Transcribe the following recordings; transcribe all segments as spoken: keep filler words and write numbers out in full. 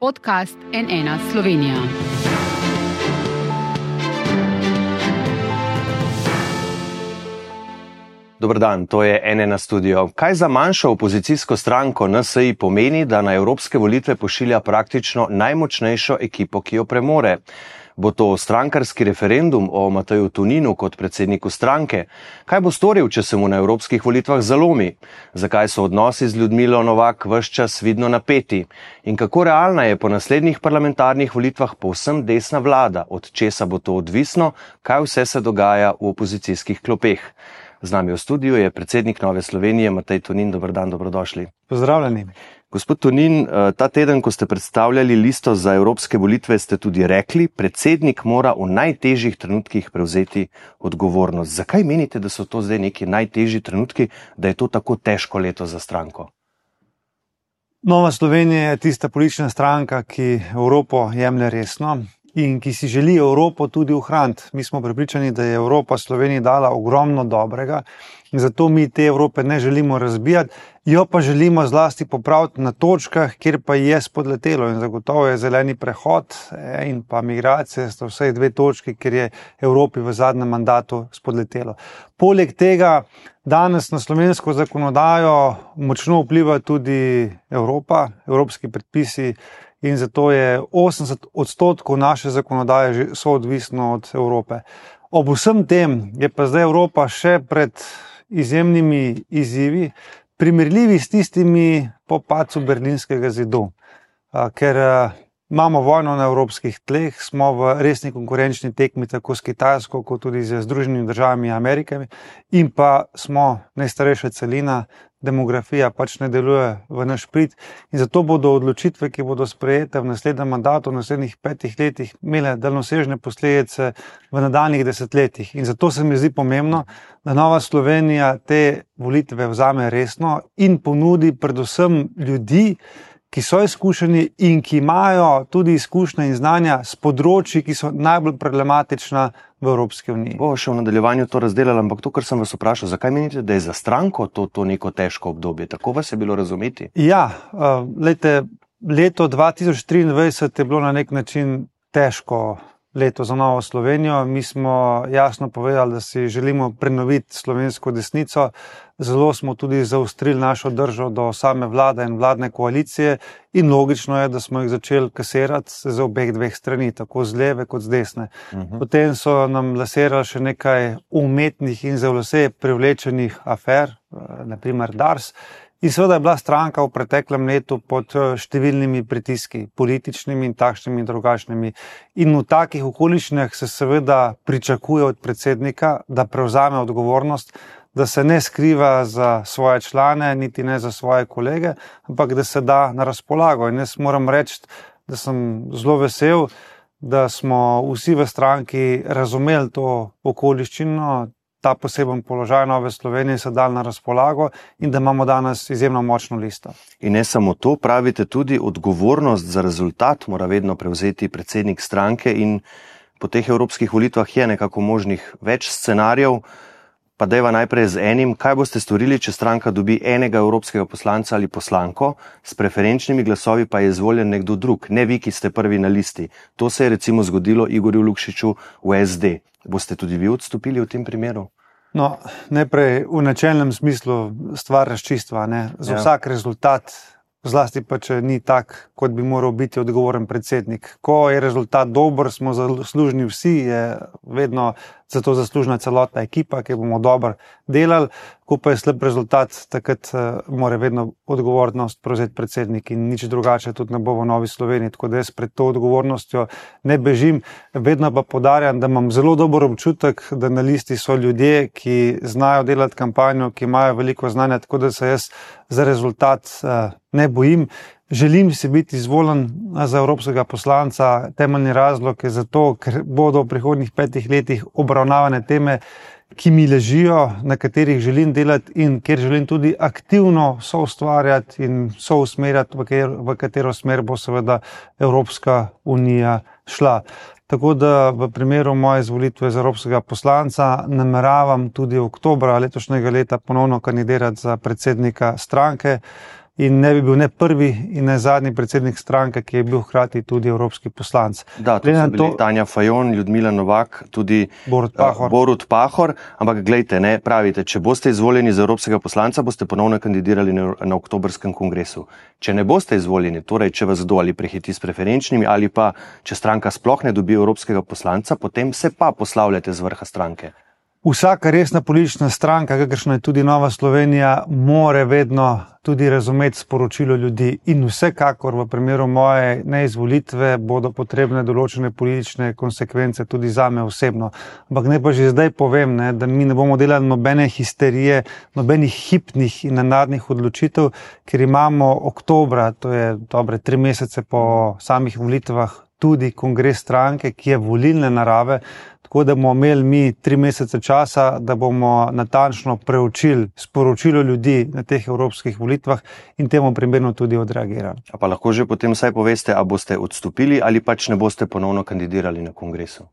podcast N ena Slovenija. Dober dan, to je N ena studio. Kaj za manjšo opozicijsko stranko N S I pomeni, da na evropske volitve pošilja praktično najmočnejšo ekipo, ki jo premore? Bo to strankarski referendum o Mateju Toninu kot predsedniku stranke? Kaj bo storil, če se mu na evropskih volitvah zalomi? Zakaj so odnosi z Ljudmilo Novak ves čas vidno napeti? In kako realna je po naslednjih parlamentarnih volitvah povsem desna vlada? Od česa bo to odvisno? Kaj vse se dogaja v opozicijskih klopeh? Z nami v studiu je predsednik Nove Slovenije Matej Tonin. Dober dan, dobrodošli. Pozdravljeni. Gospod Tonin, ta teden, ko ste predstavljali listo za evropske volitve, ste tudi rekli, predsednik mora v najtežjih trenutkih prevzeti odgovornost. Zakaj menite, da so to zdaj neki najtežji trenutki, da je to tako težko leto za stranko? Nova Slovenija je tista politična stranka, ki Evropo jemlje resno in ki si želi Evropo tudi ohraniti. Mi smo prepričani, da je Evropa Sloveniji dala ogromno dobrega in zato mi te Evrope ne želimo razbijati, jo pa želimo zlasti popraviti na točkah, kjer pa je spodletelo, in zagotovo je zeleni prehod in pa migracije sta vsaj dve točki, kjer je Evropi v zadnjem mandatu spodletelo. Poleg tega danes na slovensko zakonodajo močno vpliva tudi Evropa, evropski predpisi, in zato je osemdeset odstotkov naše zakonodaje že soodvisno od Evrope. Ob vsem tem je pa zdaj Evropa še pred izjemnimi izzivi, primerljivi s tistimi po padcu Berlinskega zidu, ker imamo vojno na evropskih tleh, smo v resni konkurenčni tekmi tako s Kitajsko, kot tudi z Združenimi državami Amerike, in pa smo najstarejša celina, demografija pač ne deluje v naš prid in zato bodo odločitve, ki bodo sprejete v naslednjem mandatu, v naslednjih petih letih, imele daljnosežne posledice v nadaljnjih desetletjih. In zato se mi zdi pomembno, da Nova Slovenija te volitve vzame resno in ponudi predvsem ljudi, ki so izkušeni in ki imajo tudi izkušnje in znanja s področji, ki so najbolj problematična v Evropski uniji. Bo še v nadaljevanju to razdelala, ampak to, kar sem vas vprašal, zakaj menite, da je za stranko to, to neko težko obdobje? Tako vas je bilo razumeti? Ja, uh, lejte, leto dva tisoč triindvajset je bilo na nek način težko leto za Novo Slovenijo. Mi smo jasno povedali, da si želimo prenoviti slovensko desnico. Zelo smo tudi zaostrili našo držo do same vlade in vladne koalicije in logično je, da smo jih začeli kasirati z obeh dveh strani, tako z leve kot z desne. Uh-huh. Potem so nam laserali še nekaj umetnih in za vse privlečenih afer, naprimer Dars. In seveda je bila stranka v preteklem letu pod številnimi pritiski, političnimi in takšnimi in drugačnimi. In v takih okoliščinah se seveda pričakuje od predsednika, da prevzame odgovornost, da se ne skriva za svoje člane, niti ne za svoje kolege, ampak da se da na razpolago. In jaz moram reči, da sem zelo vesel, da smo vsi v stranki razumeli to okoliščino, ta poseben položaj Nove Slovenije se dal na razpolago in da imamo danes izjemno močno listo. In ne samo to, pravite tudi, odgovornost za rezultat mora vedno prevzeti predsednik stranke in po teh evropskih volitvah je nekako možnih več scenarijev. Pa dajva najprej z enim, kaj boste storili, če stranka dobi enega evropskega poslanca ali poslanko, s preferenčnimi glasovi pa je izvoljen nekdo drug, ne vi, ki ste prvi na listi. To se je recimo zgodilo Igorju Lukšiču v S D. Boste tudi vi odstopili v tem primeru? No, najprej v načelnem smislu stvar razčistva, ne? Za ja. Vsak rezultat, zlasti pa če ni tak, kot bi moral biti odgovoren predsednik. Ko je rezultat dober, smo zaslužni vsi, je vedno zato zaslužna celotna ekipa, ki bomo dobro delali. Ko pa je slab rezultat, takrat mora vedno odgovornost prevzeti predsednik in nič drugače tudi ne bo v Novi Sloveniji. Tako da jaz pred to odgovornostjo ne bežim, vedno pa poudarjam, da imam zelo dober občutek, da na listi so ljudje, ki znajo delati kampanjo, ki imajo veliko znanja, tako da se jaz za rezultat ne bojim. Želim si biti izvoljen za evropskega poslanca. Temeljni razlog je zato, ker bodo v prihodnjih petih letih obravnavane teme, ki mi ležijo, na katerih želim delati in kjer želim tudi aktivno soustvarjati in sousmerjati, v katero smer bo seveda Evropska unija šla. Tako da v primeru moje izvolitve za evropskega poslanca nameravam tudi oktobra letošnjega leta ponovno kandidirati za predsednika stranke. in ne bi bil ne prvi in ne zadnji predsednik stranke, ki je bil hkrati tudi evropski poslanec. Da, to so bili Tanja Fajon, Ljudmila Novak, tudi Borut Pahor. Uh, Borut Pahor, ampak glejte, ne, pravite, če boste izvoljeni za evropskega poslanca, boste ponovno kandidirali na, na oktobrskem kongresu. Če ne boste izvoljeni, torej če vas kdo ali prehiti s preferenčnimi ali pa če stranka sploh ne dobi evropskega poslanca, potem se pa poslavljate z vrha stranke. Vsaka resna politična stranka, kakršna je tudi Nova Slovenija, more vedno tudi razumeti sporočilo ljudi in vsekakor v primeru moje neizvolitve bodo potrebne določene politične konsekvence tudi zame osebno. Ampak ne pa že zdaj povem, ne, da mi ne bomo delali nobene histerije, nobenih hipnih in nenadnih odločitev, ker imamo oktobra, to je dobre tri mesece po samih volitvah, tudi kongres stranke, ki je volilne narave, tako da bomo imeli mi tri mesece časa, da bomo natančno preučili sporočilo ljudi na teh evropskih volitvah in temu primerno tudi odreagirali. A pa lahko že potem vsaj poveste, a boste odstopili ali pač ne boste ponovno kandidirali na kongresu?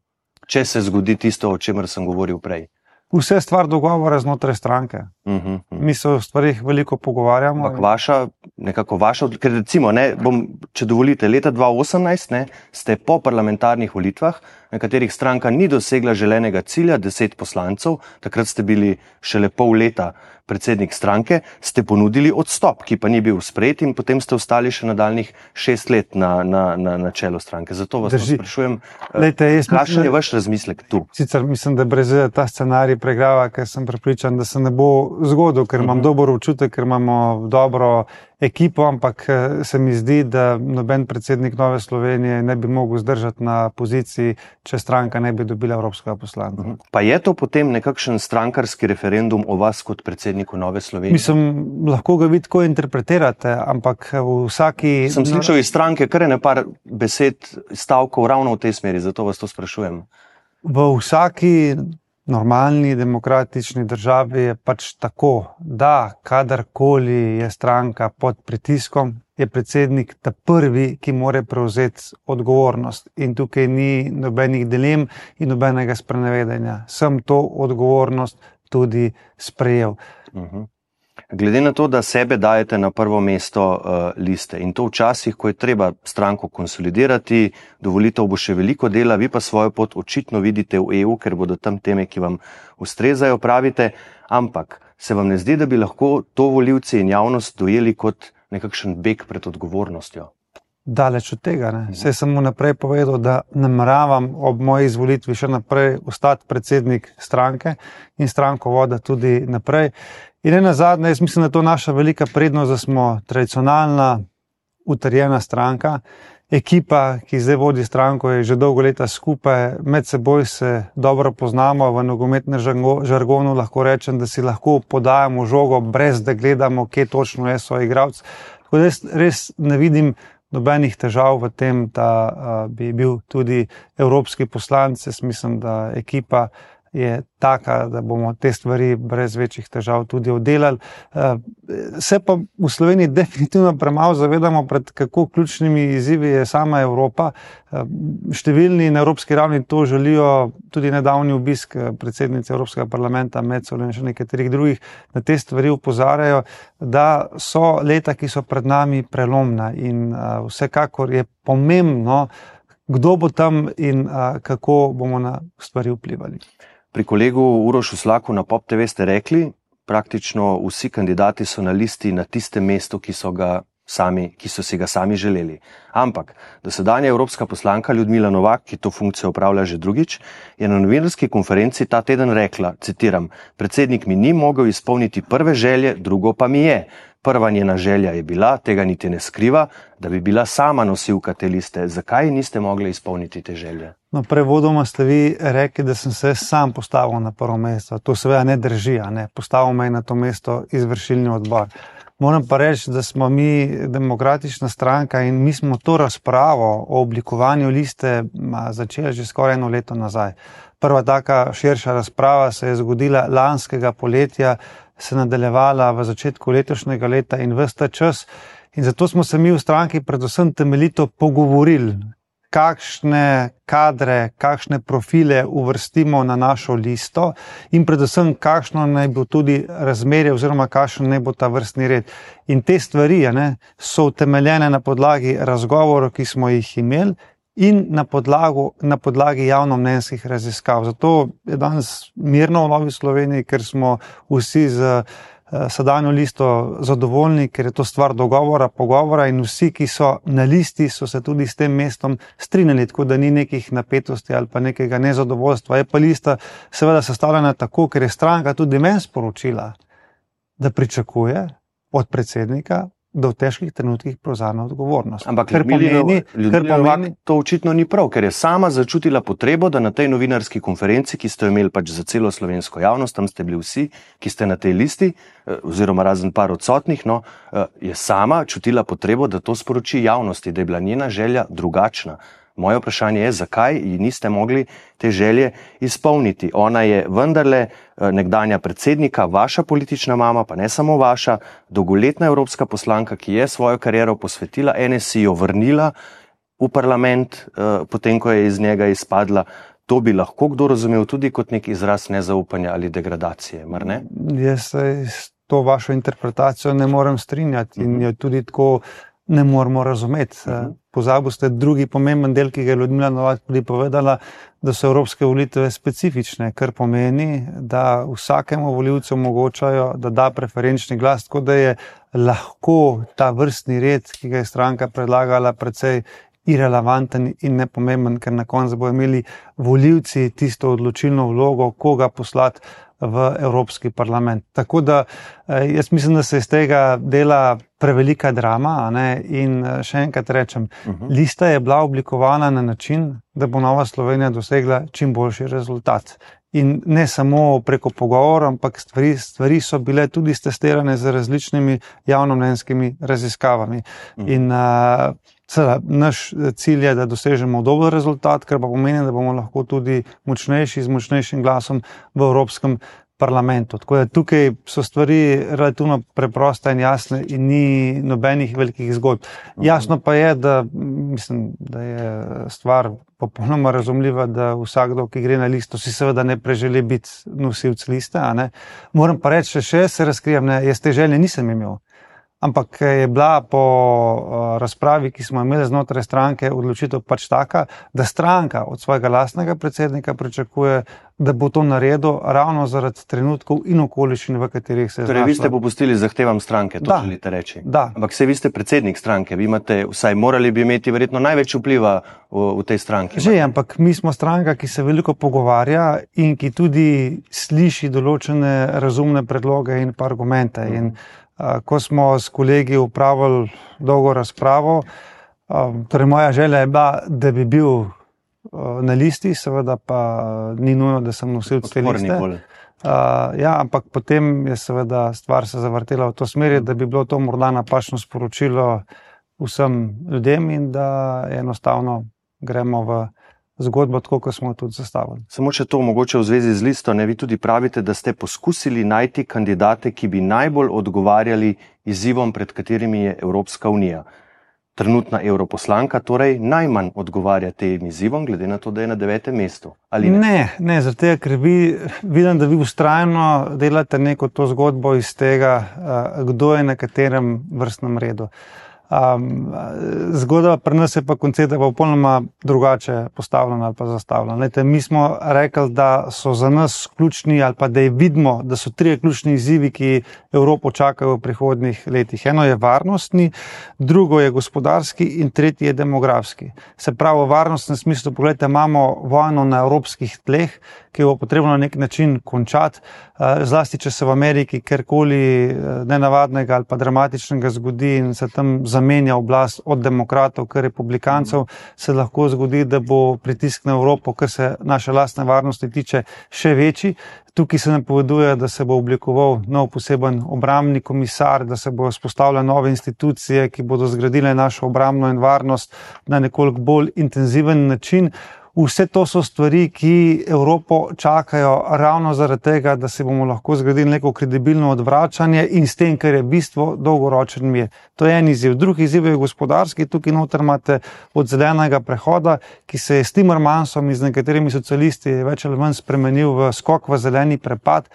Če se zgodi tisto, o čemer sem govoril prej. Vse stvar dogovora znotraj stranke. Uh -huh, uh -huh. Mi se o stvarih veliko pogovarjamo. Ampak vaša, nekako vaša, ker recimo, ne, bom, če dovolite, leta dva tisoč osemnajst ne, ste po parlamentarnih volitvah, na katerih stranka ni dosegla želenega cilja, deset poslancev, takrat ste bili šele pol leta predsednik stranke, ste ponudili odstop, ki pa ni bil sprejet in potem ste ostali še nadaljnih šest let na, na, na, na čelu stranke. Zato vas sprašujem, kakšen je vaš razmislek tu? Sicer mislim, da brez ta scenarij pregrava, ker sem prepričan, da se ne bo zgodil, ker imam uh -huh. dober občutek, ker imamo dobro ekipo, ampak se mi zdi, da noben predsednik Nove Slovenije ne bi mogel zdržati na poziciji, če stranka ne bi dobila evropskega poslanca. Pa je to potem nekakšen strankarski referendum o vas kot predsedniku Nove Slovenije? Mislim, lahko ga vi tako interpretirate, ampak v vsaki... Sem slišal iz stranke kar ene par besed, stavkov ravno v tej smeri, zato vas to sprašujem. V vsaki normalni demokratični državi je pač tako, da kadarkoli je stranka pod pritiskom, je predsednik ta prvi, ki more prevzeti odgovornost. In tukaj ni nobenih dilem in nobenega sprenevedanja. Sem to odgovornost tudi sprejel. Uh-huh. Glede na to, da sebe dajete na prvo mesto uh, liste in to včasih, ko je treba stranko konsolidirati, do volitev bo še veliko dela, vi pa svojo pot očitno vidite v E U, ker bodo tam teme, ki vam ustrezajo, pravite, ampak se vam ne zdi, da bi lahko to volivci in javnost dojeli kot nekakšen beg pred odgovornostjo? Daleč od tega. Ne. Saj sem mu naprej povedal, da nameravam ob moji izvolitvi še naprej ostati predsednik stranke in stranko voda tudi naprej. In ena zadnja, jaz mislim, da je to naša velika prednost, da smo tradicionalna, utrjena stranka. Ekipa, ki zdaj vodi stranko, je že dolgo leta skupaj, med seboj se dobro poznamo, v nogometnem žargonu lahko rečem, da si lahko podajamo žogo, brez da gledamo, kje točno je soigralec. Tako da jaz res ne vidim nobenih težav v tem, da uh, bi bil tudi evropski poslanec. Jaz mislim, da ekipa je taka, da bomo te stvari brez večjih težav tudi oddelali. Se pa v Sloveniji definitivno premalo zavedamo, pred kako ključnimi izzivi je sama Evropa. Številni na evropski ravni to želijo, tudi nedavni obisk predsednice Evropskega parlamenta Metsola in še nekaterih drugih, na te stvari opozarjajo, da so leta, ki so pred nami, prelomna in vsekakor je pomembno, kdo bo tam in kako bomo na stvari vplivali. Pri kolegu Urošu Slaku na Pop T V ste rekli, praktično vsi kandidati so na listi na tistem mestu, ki so, ga sami, ki so si ga sami želeli. Ampak dosedanja evropska poslanka Ljudmila Novak, ki to funkcijo opravlja že drugič, je na novinarski konferenci ta teden rekla, citiram, predsednik mi ni mogel izpolniti prve želje, drugo pa mi je. Prva njena želja je bila, tega niti ne skriva, da bi bila sama nosilka te liste. Zakaj niste mogli izpolniti te želje? No, prevodoma ste vi rekli, da sem se sam postavil na prvo mesto. To seveda ne drži, a ne. Postavil me je na to mesto izvršilni odbor. Moram pa reči, da smo mi demokratična stranka in mi smo to razpravo o oblikovanju liste začeli že skoraj eno leto nazaj. Prva taka širša razprava se je zgodila lanskega poletja, se nadaljevala v začetku letošnjega leta in ves ta čas. In zato smo se mi v stranki predvsem temeljito pogovorili. kakšne kadre, kakšne profile uvrstimo na našo listo in predvsem, kakšno naj bo tudi razmerje oziroma kakšen naj bo ta vrstni red. In te stvari ne, so utemeljene na podlagi razgovorov, ki smo jih imeli, in na, podlagu, na podlagi javnomnenjskih raziskav. Zato je danes mirno v Novi Sloveniji, ker smo vsi z sedanjo listo zadovoljni, ker je to stvar dogovora, pogovora in vsi, ki so na listi, so se tudi s tem mestom strinjali, tako da ni nekih napetosti ali pa nekega nezadovoljstva. Je pa lista seveda sestavljena tako, ker je stranka tudi meni sporočila, da pričakuje od predsednika, da v težkih trenutkih prevzame odgovornost. Ampak ker pomeni, ker pomeni, to očitno ni prav, ker je sama začutila potrebo, da na tej novinarski konferenci, ki ste jo imeli pač za celo slovensko javnost, tam ste bili vsi, ki ste na tej listi, oziroma razen par odsotnih, no, je sama čutila potrebo, da to sporoči javnosti, da je bila njena želja drugačna. Moje vprašanje je, zakaj ji niste mogli te želje izpolniti. Ona je vendarle nekdanja predsednika, vaša politična mama, pa ne samo vaša, dolgoletna evropska poslanka, ki je svojo kariero posvetila N S I, jo vrnila v parlament, potem ko je iz njega izpadla. To bi lahko kdo razumel tudi kot nek izraz nezaupanja ali degradacije, mar ne? Jaz se s to vašo interpretacijo ne morem strinjati in jo tudi tako ne moramo razumeti. Uh-huh. Pozabil ste drugi pomemben del, ki ga je Ljudmila Novak tudi povedala, da so evropske volitve specifične, kar pomeni, da vsakemu volivcu omogočajo, da da preferenčni glas, tako da je lahko ta vrstni red, ki ga je stranka predlagala, precej irelevanten in nepomemben, ker na koncu bodo imeli volivci tisto odločilno vlogo, koga poslati v Evropski parlament. Tako da jaz mislim, da se iz tega dela prevelika drama, a ne? In še enkrat rečem, uh-huh. lista je bila oblikovana na način, da bo Nova Slovenija dosegla čim boljši rezultat. In ne samo preko pogovora, ampak stvari, stvari so bile tudi stestirane z različnimi javnomnenjskimi raziskavami. Uh-huh. In uh, Seveda, naš cilj je, da dosežemo dober rezultat, kar pa pomeni, da bomo lahko tudi močnejši z močnejšim glasom v Evropskem parlamentu. Tako da tukaj so stvari relativno preproste in jasne in ni nobenih velikih zgodb. Jasno pa je, da, mislim, da je stvar popolnoma razumljiva, da vsakdo, ki gre na listo, si seveda ne preželi biti nosilc liste. A ne? Moram pa reči, še se razkrijem, ne, jaz te želje nisem imel. Ampak je bila po razpravi, ki smo imeli znotraj stranke, odločitev pač taka, da stranka od svojega lastnega predsednika pričakuje, da bo to naredil ravno zaradi trenutkov in okoliščin, v katerih se je znašla. Torej, vi ste popustili zahtevam stranke, to da, želite reči. Da. Ampak se vi ste predsednik stranke, vi imate, vsaj morali bi imeti verjetno največ vpliva v, v tej stranki. Že, ampak mi smo stranka, ki se veliko pogovarja in ki tudi sliši določene razumne predloge in pa argumente. In ko smo s kolegi upravili dolgo razpravo, torej moja želja je bila, da bi bil na listi, seveda pa ni nujno, da sem nosilec te liste. Ja, ampak potem je seveda stvar se zavrtela v to smer, da bi bilo to morda napačno sporočilo vsem ljudem in da enostavno gremo v zgodbo, tako kot smo tudi zastavili. Samo če to mogoče v zvezi z listo, ne, vi tudi pravite, da ste poskusili najti kandidate, ki bi najbolj odgovarjali izzivom, pred katerimi je Evropska unija. Trenutna europoslanka torej najmanj odgovarja tem izzivom, glede na to, da je na devetem mestu. Ali ne? Ne, ne, zaradi tega, ker vi, vidim, da vi vztrajno delate neko to zgodbo iz tega, kdo je na katerem vrstnem redu. Um, zgodba pri nas je pa koncept popolnoma drugače postavljena ali pa zastavljena. Lejte, mi smo rekli, da so za nas ključni ali pa da je vidimo, da so trije ključni izzivi, ki Evropo čakajo v prihodnjih letih. Eno je varnostni, drugo je gospodarski in tretji je demografski. Se pravi, v varnostnem smislu, pogledajte, imamo vojno na evropskih tleh, ki jo bo potrebno na nek način končati, zlasti če se v Ameriki kjerkoli nenavadnega ali pa dramatičnega zgodi in se tam zamenja oblast od demokratov k republikancev, se lahko zgodi, da bo pritisk na Evropo, kar se naše lastne varnosti tiče, še večji. Tukaj se napoveduje, da se bo oblikoval nov poseben obrambni komisar, da se bo vzpostavile nove institucije, ki bodo zgradile našo obrambno in varnost na nekoliko bolj intenziven način. Vse to so stvari, ki Evropo čakajo ravno zaradi tega, da se bomo lahko zgradili neko kredibilno odvračanje in s tem, kar je bistvo, dolgoročen mir. To je en izziv. Drugi izziv je gospodarski. Tukaj noter imate od zelenega prehoda, ki se je s Timmermansom in z nekaterimi socialisti več ali manj spremenil v skok v zeleni prepad.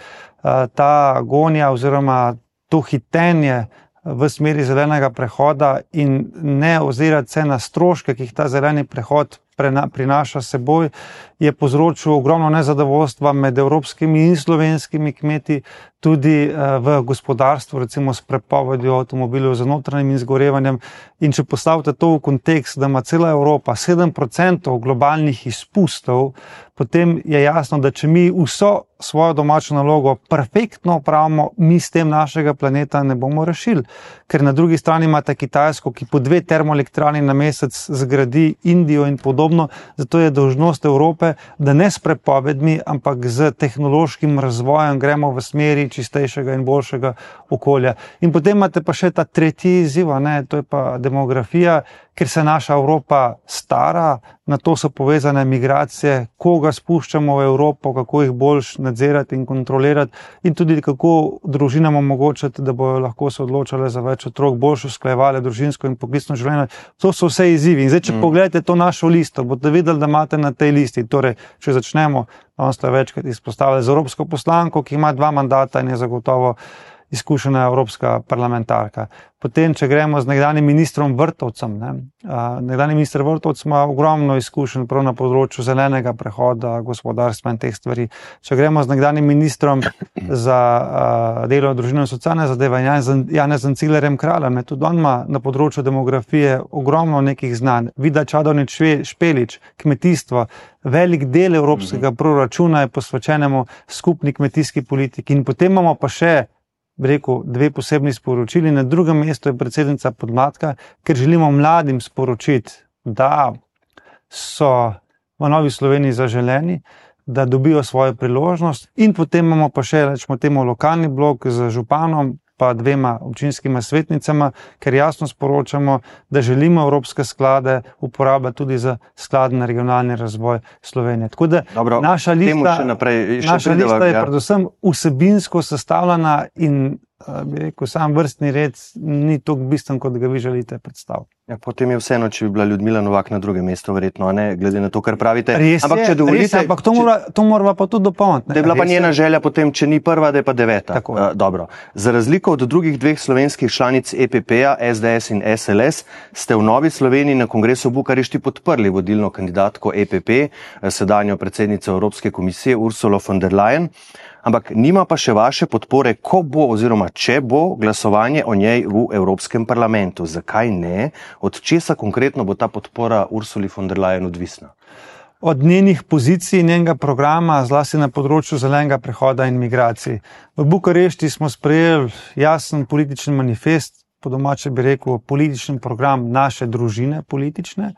Ta gonja oziroma to hitenje v smeri zelenega prehoda in ne ozirati se na stroške, ki jih ta zeleni prehod prinaša seboj, je povzročil ogromno nezadovoljstva med evropskimi in slovenskimi kmeti, tudi v gospodarstvu, recimo s prepovedjo avtomobilov z notranjim izgorevanjem. In če postavite to v kontekst, da ima cela Evropa sedem procentov globalnih izpustov, potem je jasno, da če mi vso svojo domačo nalogo perfektno opravimo, mi s tem našega planeta ne bomo rešili. Ker na drugi strani imate Kitajsko, ki po dve termoelektrarni na mesec zgradi Indijo in podobno, zato je dolžnost Evrope, da ne s prepovedmi, ampak z tehnološkim razvojem gremo v smeri čistejšega in boljšega okolja. In potem imate pa še ta tretji izziv, ne, to je pa demografija, ker se naša Evropa stara, na to so povezane migracije, koga spuščamo v Evropo, kako jih boljš nadzirati in kontrolirati in tudi kako družinam omogočati, da bojo lahko se odločale za več otrok, boljš usklajevale družinsko in poklicno življenje. To so vse izzivi. In zdaj, če mm. pogledate to našo listo, boste videli, da imate na tej listi, torej, če začnemo, on ste večkrat izpostavili z evropsko poslanko, ki ima dva mandata in je zagotovo izkušena evropska parlamentarka. Potem, če gremo z nekdanjim ministrom Vrtovcem, ne, nekdanji minister Vrtovc ima ogromno izkušenj prav na področju zelenega prehoda, gospodarstva in teh stvari. Če gremo z nekdanjim ministrom za delo, družino in socialne zadeve, Janezom Ciglerjem Kraljem, tudi on ima na področju demografije ogromno nekih znanj. Vida Čadovnič Špelič, kmetijstvo, velik del evropskega proračuna je posvečenemu skupni kmetijski politiki. In potem imamo pa še bi rekel, dve posebni sporočili. Na drugem mestu je predsednica podmladka, ker želimo mladim sporočiti, da so v Novi Sloveniji zaželeni, da dobijo svojo priložnost. In potem imamo pa še, rečemo temu, lokalni blok z županom, pa dvema občinskima svetnicama, ker jasno sporočamo, da želimo evropske sklade uporabljati tudi za skladen regionalni razvoj Slovenije. Tako da Dobro, naša lista, naprej, naša lista je ja. predvsem vsebinsko sestavljena in bi rekel, sam vrstni red ni toliko bistven, kot ga vi želite predstaviti. Ja, potem je vseeno, če bi bila Ljudmila Novak na drugem mestu, verjetno, ne, glede na to, kar pravite. Res ampak, je, če dovolite, res je, ampak to mora, to mora pa tudi dopolniti. Da je bila pa njena želja potem, če ni prva, da je pa deveta. Tako. Uh, dobro. Za razliko od drugih dveh slovenskih članic E P P-ja, S D S in S L S, ste v Novi Sloveniji na kongresu v Bukarešti podprli vodilno kandidatko E P P, sedanjo predsednico Evropske komisije Ursulo von der Leyen. Ampak nima pa še vaše podpore, ko bo oziroma če bo glasovanje o njej v Evropskem parlamentu. Zakaj ne? Od česa konkretno bo ta podpora Ursuli von der Leyen odvisna? Od njenih pozicij, njenega programa, zlasti na področju zelenega prehoda in migracij. V Bukarešti smo sprejeli jasen politični manifest, po domače bi rekel politični program naše družine politične,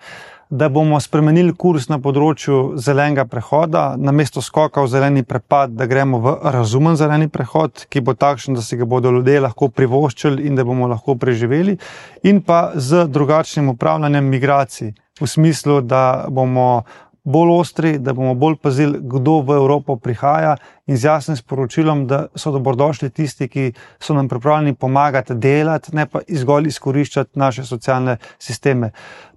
da bomo spremenili kurs na področju zelenega prehoda, namesto skoka v zeleni prepad, da gremo v razumen zeleni prehod, ki bo takšen, da si ga bodo ljudje lahko privoščili in da bomo lahko preživeli, in pa z drugačnim upravljanjem migracij, v smislu, da bomo bolj ostri, da bomo bolj pazili, kdo v Evropo prihaja in z jasnim sporočilom, da so dobrodošli tisti, ki so nam pripravljeni pomagati delati, ne pa zgolj izkoriščati naše socialne sisteme.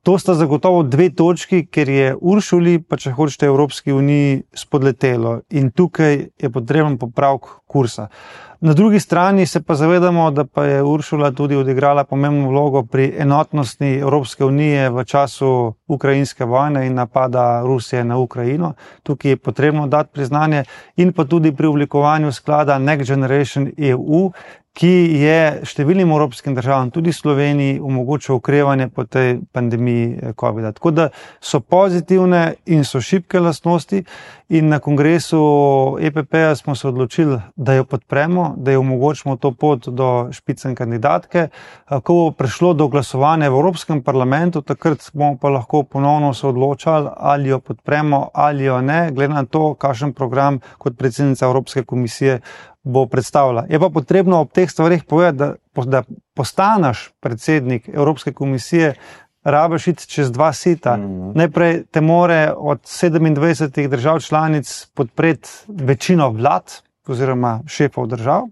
To sta zagotovo dve točki, ker je Uršuli, pa če hočete Evropski uniji, spodletelo in tukaj je potreben popravek kursa. Na drugi strani se pa zavedamo, da pa je Uršula tudi odigrala pomembno vlogo pri enotnosti Evropske unije v času ukrajinske vojne in napada Rusije na Ukrajino. Tukaj je potrebno dati priznanje in pa tudi pri oblikovanju sklada Next Generation E U, ki je številnim evropskim državam, tudi Sloveniji, omogočil okrevanje po tej pandemiji covida. Tako da so pozitivne in so šibke lastnosti in na kongresu E P P-ja smo se odločili, da jo podpremo, da jo omogočimo to pot do špicen kandidatke. Ko bo prišlo do glasovanja v Evropskem parlamentu, takrat bomo pa lahko ponovno se odločali, ali jo podpremo ali jo ne, glede na to, kakšen program kot predsednica Evropske komisije bo predstavila. Je pa potrebno ob teh stvarih povedati, da, da postaneš predsednik Evropske komisije, rabiš iti čez dva sita. Mm-hmm. Najprej te more od sedemindvajsetih držav članic podpreti večino vlad oziroma šefov držav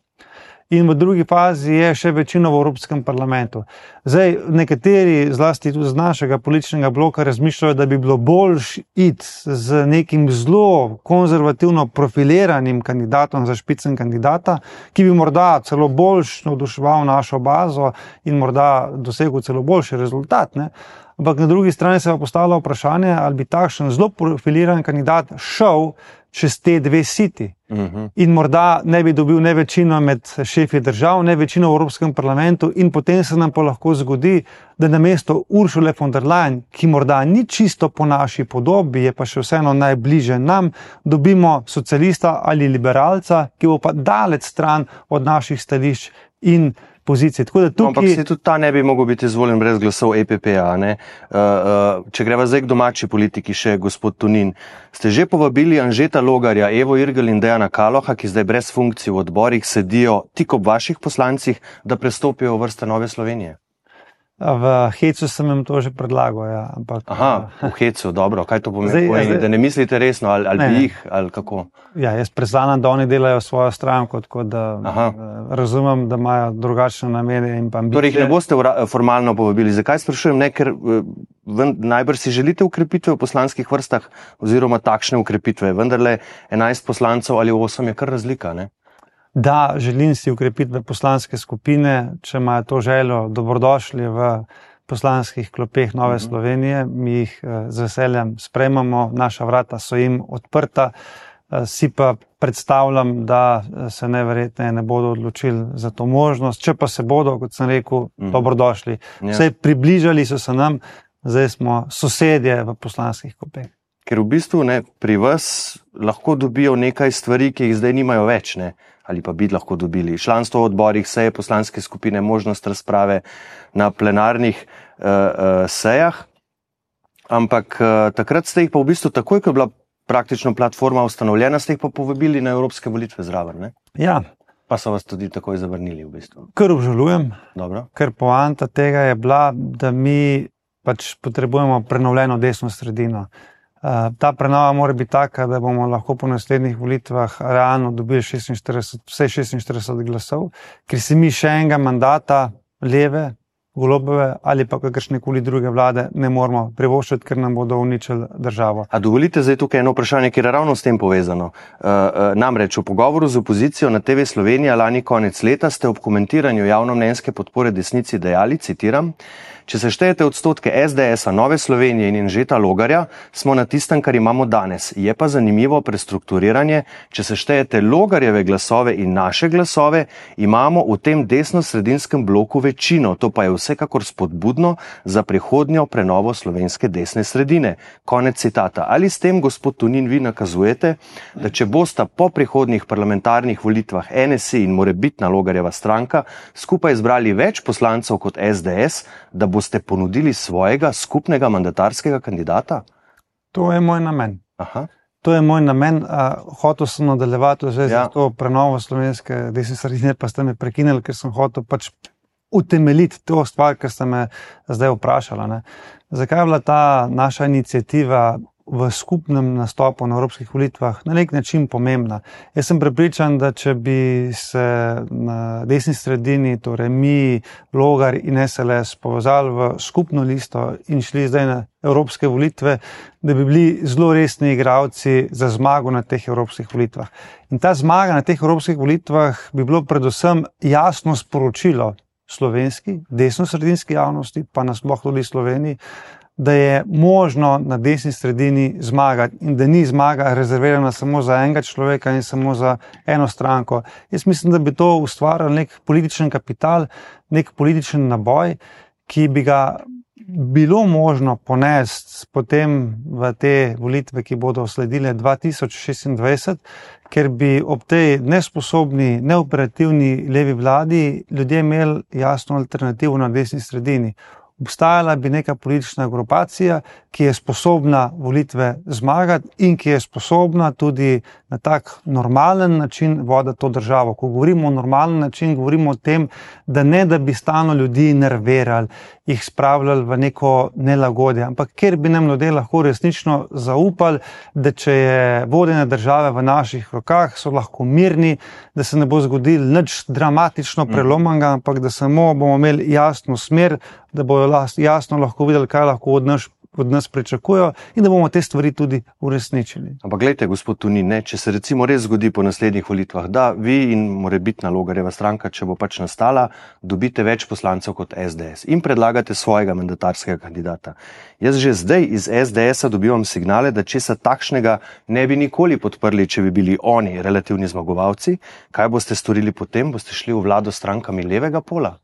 in v drugi fazi je še večino v Evropskem parlamentu. Zdaj, nekateri, zlasti tudi z našega političnega bloka, razmišljajo, da bi bilo boljš iti z nekim zelo konzervativno profiliranim kandidatom za špicen kandidata, ki bi morda celo boljš navduševal našo bazo in morda dosegel celo boljši rezultat, ne? Ampak na drugi strani se pa postavlja vprašanje, ali bi takšen zelo profiliran kandidat šel čez te dve siti. Uh-huh. In morda ne bi dobil ne večino med šefi držav, ne večino v Evropskem parlamentu in potem se nam pa lahko zgodi, da namesto Ursule von der Leyen, ki morda ni čisto po naši podobi, je pa še vseeno najbliže nam, dobimo socialista ali liberalca, ki bo pa daleč stran od naših stališč in pozicij. Tako da tukaj... Ampak se tudi ta ne bi mogel biti izvoljen brez glasov E P P-a. Ne? Uh, uh, če greva zdaj k domači politiki, še gospod Tonin, ste že povabili Anžeta Logarja, Evo Irgl in Dejana Kaloha, ki zdaj brez funkcij v odborih sedijo tik ob vaših poslancih, da prestopijo v vrste Nove Slovenije? V hecu sem jim to že predlagal. Ja. Ampak, Aha, v hecu, dobro. Kaj to pomeni? Zdaj, pomeni zdaj, da ne mislite resno ali, ali ne, bi jih, ali kako? Ja, jaz priznam, da oni delajo svojo stranko, tako da Aha. razumem, da imajo drugačne namene in pa ambicije. Torej jih ne boste formalno povabili. Zakaj sprašujem? Ne, ker najbrž si želite ukrepitve v poslanskih vrstah oziroma takšne ukrepitve. Vendarle enajst poslancev ali osem je kar razlika, ne? Da, želim si ukrepitve poslanske skupine, če imajo to željo, dobrodošli v poslanskih klopeh Nove uh-huh. Slovenije, mi jih z veseljem sprejmamo, naša vrata so jim odprta, si pa predstavljam, da se neverjetne ne bodo odločili za to možnost, če pa se bodo, kot sem rekel, uh-huh. dobrodošli. Vse približali so se nam, zdaj smo sosedje v poslanskih klopeh. Ker v bistvu ne, pri vas lahko dobijo nekaj stvari, ki jih zdaj nimajo več, ne? Ali pa bi lahko dobili. Članstvo v odborih, seje poslanske skupine, možnost razprave na plenarnih uh, uh, sejah. Ampak uh, takrat ste jih pa v bistvu takoj, ko je bila praktično platforma ustanovljena, ste jih pa povabili na evropske volitve zraven, ne? Ja. Pa so vas tudi takoj zavrnili v bistvu. Kar obžalujem, Dobro. Ker poanta tega je bila, da mi pač potrebujemo prenovljeno desno sredino. Uh, ta prenova mora biti taka, da bomo lahko po naslednjih volitvah realno dobili šestinštirideset, vse šestinštirideset glasov, ker si mi še enega mandata leve, Golobove ali pa kakršnekoli druge vlade ne moramo privoščiti, ker nam bodo uničili državo. A dovolite zdaj tukaj eno vprašanje, ki je ravno s tem povezano. Uh, uh, namreč v pogovoru z opozicijo na T V Slovenija lani konec leta ste ob komentiranju javnomnenjske podpore desnici dejali, citiram, če se štejete odstotke S D S-a, Nove Slovenije in Anžeta Logarja, smo na tistem, kar imamo danes. Je pa zanimivo prestrukturiranje, če se štejete Logarjeve glasove in naše glasove, imamo v tem desno-sredinskem bloku večino, to pa je vsekakor spodbudno za prihodnjo prenovo slovenske desne sredine. Konec citata. Ali s tem, gospod Tonin, vi nakazujete, da če bosta po prihodnjih parlamentarnih volitvah N S I in morebitna Logarjeva stranka skupaj izbrali več poslancev kot S D S, da boste ponudili svojega skupnega mandatarskega kandidata? To je moj namen. Aha. To je moj namen. Uh, hotel sem nadaljevati v zvezi ja. z to prenovo slovenske desne sredine, pa ste me prekinili, ker sem hotel pač utemeljiti to stvar, ker ste me zdaj vprašala. Ne. Zakaj je bila ta naša iniciativa v skupnem nastopu na evropskih volitvah na nek način pomembna? Jaz sem prepričan, da če bi se na desni sredini, torej mi, Logar in S L S, povezali v skupno listo in šli zdaj na evropske volitve, da bi bili zelo resni igralci za zmago na teh evropskih volitvah. In ta zmaga na teh evropskih volitvah bi bilo predvsem jasno sporočilo slovenski, desno-sredinski javnosti, pa nasploh tudi Sloveniji, da je možno na desni sredini zmagati in da ni zmaga rezervirana samo za enega človeka in samo za eno stranko. Jaz mislim, da bi to ustvaril nek političen kapital, nek političen naboj, ki bi ga bilo možno ponesti potem v te volitve, ki bodo sledile dva tisoč šestindvajset, ker bi ob tej nesposobni, neoperativni levi vladi ljudje imeli jasno alternativo na desni sredini. Obstajala bi neka politična grupacija, ki je sposobna volitve zmagati in ki je sposobna tudi na tak normalen način voditi to državo. Ko govorimo o normalen način, govorimo o tem, da ne da bi stalno ljudi nervirali, jih spravljali v neko nelagodje, ampak ker bi nam ljudje lahko resnično zaupali, da če je vodenje države v naših rokah, so lahko mirni, da se ne bo zgodil nič dramatično prelomanega, ampak da samo bomo imeli jasno smer, da bojo jasno lahko videli, kaj lahko od nas, od nas pričakujejo in da bomo te stvari tudi uresničili. Ampak glejte, gospod Tonin, ne, če se recimo res zgodi po naslednjih volitvah, da vi in morebitna Logarjeva stranka, če bo pač nastala, dobite več poslancev kot S D S in predlagate svojega mandatarskega kandidata. Jaz že zdaj iz S D S-a dobivam signale, da česa takšnega ne bi nikoli podprli, če bi bili oni relativni zmagovalci. Kaj boste storili potem? Boste šli v vlado s strankami levega pola?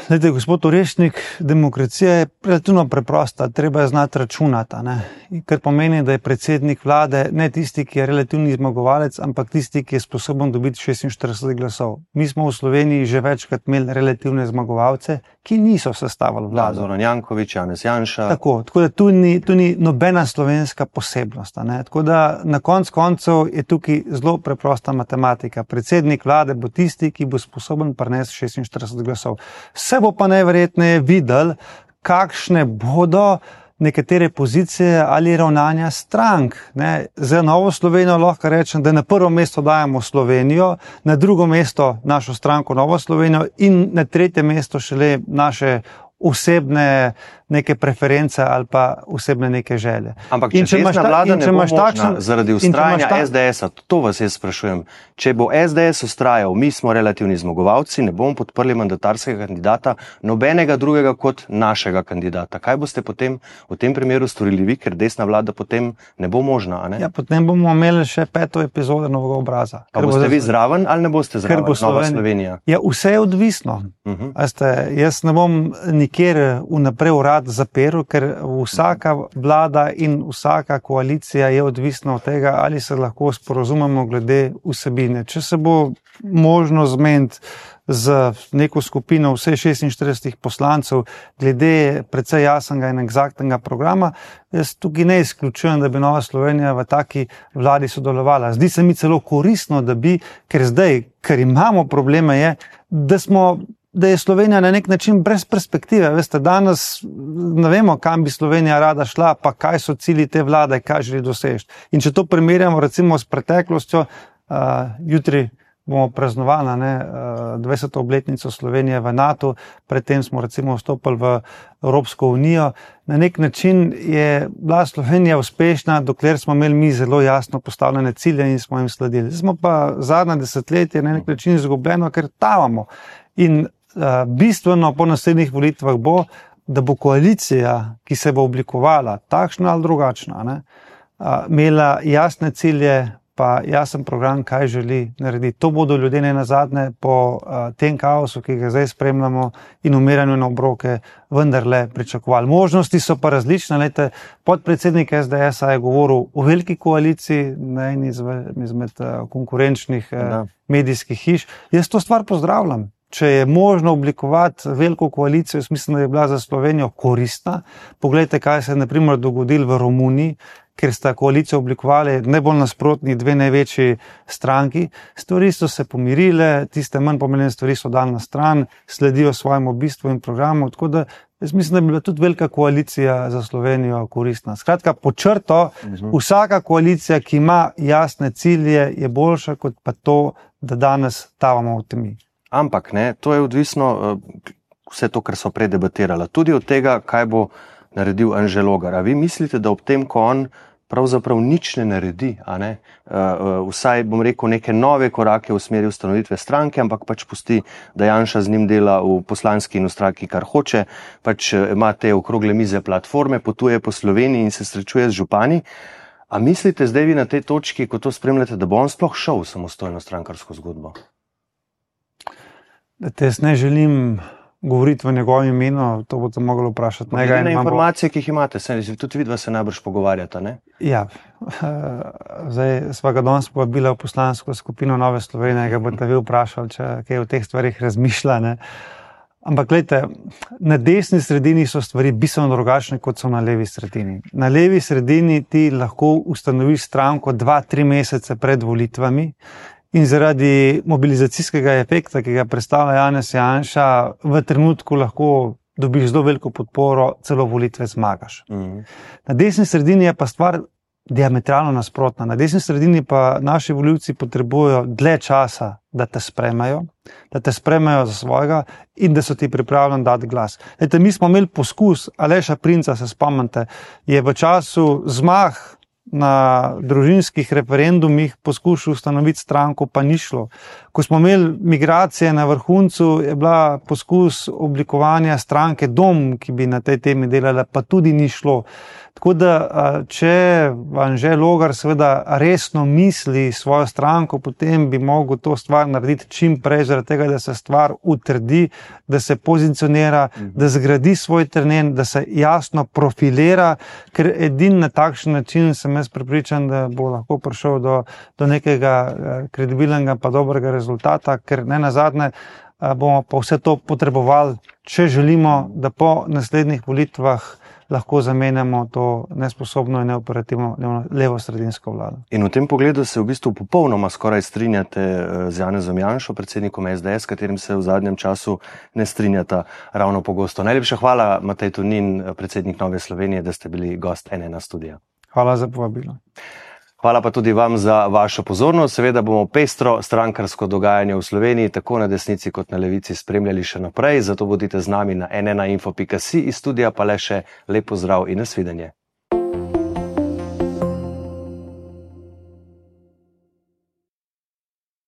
Glede, gospod Orešnik, demokracija je relativno preprosta, treba je znati računati, ne? Kar pomeni, da je predsednik vlade ne tisti, ki je relativni zmagovalec, ampak tisti, ki je sposoben dobiti šestinštirideset glasov. Mi smo v Sloveniji že večkrat imeli relativne zmagovalce, ki niso sestavili vlado. Zoran Janković, Janez Janša. Tako, tako da tu ni, tu ni nobena slovenska posebnost. Ne? Tako da na konc koncev je tukaj zelo preprosta matematika. Predsednik vlade bo tisti, ki bo sposoben prinesti šestinštirideset glasov. Se bo pa najverjetneje videl, kakšne bodo nekatere pozicije ali ravnanja strank. Ne? Za Novo Slovenijo lahko rečem, da na prvo mesto dajemo Slovenijo, na drugo mesto našo stranko Novo Slovenijo in na tretje mesto šele naše osebne neke preference ali pa osebne neke želje. Ampak če, če desna vlada ne bo možna takšen, zaradi ustrajanja ta... S D S-a, to vas jaz sprašujem, če bo S D S ustrajal, mi smo relativni zmagovalci, ne bomo podprli mandatarskega kandidata, nobenega drugega kot našega kandidata. Kaj boste potem v tem primeru storili vi, ker desna vlada potem ne bo možna? A ne? Ja, potem bomo imeli še peto epizodo Novega obraza. Pa boste vi zraven ali ne boste zraven, bo Nova Slovenija? Ja, vse je odvisno. Uh-huh. Aste, jaz ne bom nikjer vnaprej urad zaperu, ker vsaka vlada in vsaka koalicija je odvisna od tega, ali se lahko sporozumemo glede vsebine. Če se bo možno zmeniti z neko skupino vse šestinštirideset poslancev glede precej jasnega in eksaktnega programa, jaz tukaj ne izključujem, da bi Nova Slovenija v taki vladi sodelovala. Zdi se mi celo koristno, da bi, ker zdaj, ker imamo probleme, je, da smo da je Slovenija na nek način brez perspektive. Veste, danes ne vemo, kam bi Slovenija rada šla, pa kaj so cilji te vlade, kaj želi doseči. In če to primerjamo recimo s preteklostjo, uh, jutri bomo praznovali ne, uh, dvajseto obletnico Slovenije v NATO, predtem smo recimo vstopili v Evropsko unijo. Na nek način je bila Slovenija uspešna, dokler smo imeli mi zelo jasno postavljene cilje in smo jim sledili. Smo pa zadnja desetletje na nek način izgubljeno, ker tavamo. In uh, bistveno po naslednjih volitvah bo, da bo koalicija, ki se bo oblikovala, takšna ali drugačna, ne, uh, imela jasne cilje, pa jasen program, kaj želi narediti. To bodo ljudje ne nazadnje po uh, tem kaosu, ki ga zdaj spremljamo in umiranju na obroke, vendarle pričakovali. Možnosti so pa različne. Lejte, podpredsednik S D S-a je govoril o veliki koaliciji, na eni izmed, izmed uh, konkurenčnih uh, medijskih hiš. Jaz to stvar pozdravljam. Če je možno oblikovati veliko koalicijo, jaz mislim, da je bila za Slovenijo koristna. Poglejte, kaj se je na primer dogodilo v Romuniji, ker sta koalicijo oblikovali najbolj nasprotni dve največji stranki. Stvari so se pomirile, tiste manj pomembne stvari so dali na stran, sledijo svojemu bistvu in programu, tako da jaz mislim, da bi bila tudi velika koalicija za Slovenijo koristna. Skratka, po črto, vsaka koalicija, ki ima jasne cilje, je boljša kot pa to, da danes tavamo v temi. Ampak, ne, to je odvisno, vse to, kar so predebatirala, tudi od tega, kaj bo naredil Anže Logar. A vi mislite, da ob tem, ko on pravzaprav nič ne naredi, a ne, vsaj, bom rekel, neke nove korake v smeri ustanovitve stranke, ampak pač pusti, da Janša z njim dela v poslanski in v stranki, kar hoče, pač ima te okrogle mize platforme, potuje po Sloveniji in se srečuje z župani. A mislite zdaj vi na tej točki, ko to spremljate, da bo on sploh šel v samostojno strankarsko zgodbo? Jaz ne želim govoriti v njegovem imenu, to boste mogli vprašati. Glede na informacije, ki jih imate, se, tudi vidva se najbrž pogovarjata, ne? Ja, zdaj sva ga danes povabila v poslansko skupino Nove Slovenije, ga boste vi vprašali, če kaj o teh stvarih razmišlja, ne? Ampak, gledajte, na desni sredini so stvari bistveno drugačne, kot so na levi sredini. Na levi sredini ti lahko ustanoviš stranko dva, tri mesece pred volitvami in zaradi mobilizacijskega efekta, ki ga predstavlja Janez Janša, v trenutku lahko dobiš zelo veliko podporo, celo volitve zmagaš. Mm. Na desni sredini je pa stvar diametralno nasprotna. Na desni sredini pa naši volivci potrebujejo dlje časa, da te sprejmejo, da te sprejmejo za svojega in da so ti pripravljeni dati glas. Lejte, mi smo imeli poskus Aleša Princa, se spomnite, je v času zmag na družinskih referendumih poskušal ustanoviti stranko, pa ni šlo. Ko smo imeli migracije na vrhuncu, je bila poskus oblikovanja stranke Dom, ki bi na tej temi delala, pa tudi ni šlo. Tako da, če Anže Logar seveda resno misli svojo stranko, potem bi mogel to stvar narediti čim prej, zaradi tega, da se stvar utrdi, da se pozicionira, da zgradi svoj teren, da se jasno profilira, ker edin na takšen način sem jaz prepričan, da bo lahko prišel do, do nekega kredibilnega pa dobrega rezultata, ker ne nazadnje bomo pa vse to potrebovali, če želimo, da po naslednjih volitvah lahko zamenjamo to nesposobno in neoperativno levo-sredinsko vlado. In v tem pogledu se v bistvu popolnoma skoraj strinjate z Janezom Janšo, predsednikom es de es, katerim se v zadnjem času ne strinjata ravno pogosto. Najlepša hvala, Matej Tonin, predsednik Nove Slovenije, da ste bili gost N ena studia. Hvala za povabilo. Hvala pa tudi vam za vašo pozornost. Seveda bomo pestro strankarsko dogajanje v Sloveniji tako na desnici kot na levici spremljali še naprej, zato bodite z nami na en ena info pika si, iz studija pa le še lep pozdrav in nasvidenje.